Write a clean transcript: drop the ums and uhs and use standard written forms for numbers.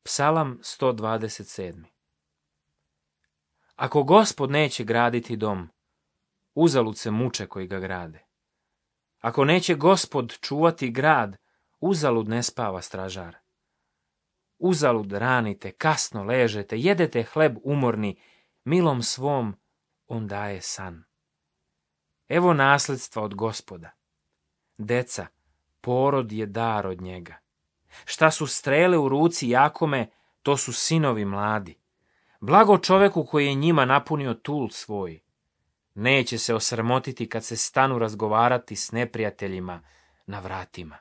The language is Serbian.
Psalam 127. Ako Gospod neće graditi dom, uzalud se muče koji ga grade. Ako neće Gospod čuvati grad, uzalud ne spava stražar. Uzalud ranite, kasno ležete, jedete hleb umorni, milom svom on daje san. Evo nasljedstva od Gospoda. Deca, porod je dar od njega. Šta su strele u ruci Jakome, to su sinovi mladi. Blago čoveku koji je njima napunio tul svoj. Neće se osramotiti kad se stanu razgovarati s neprijateljima na vratima.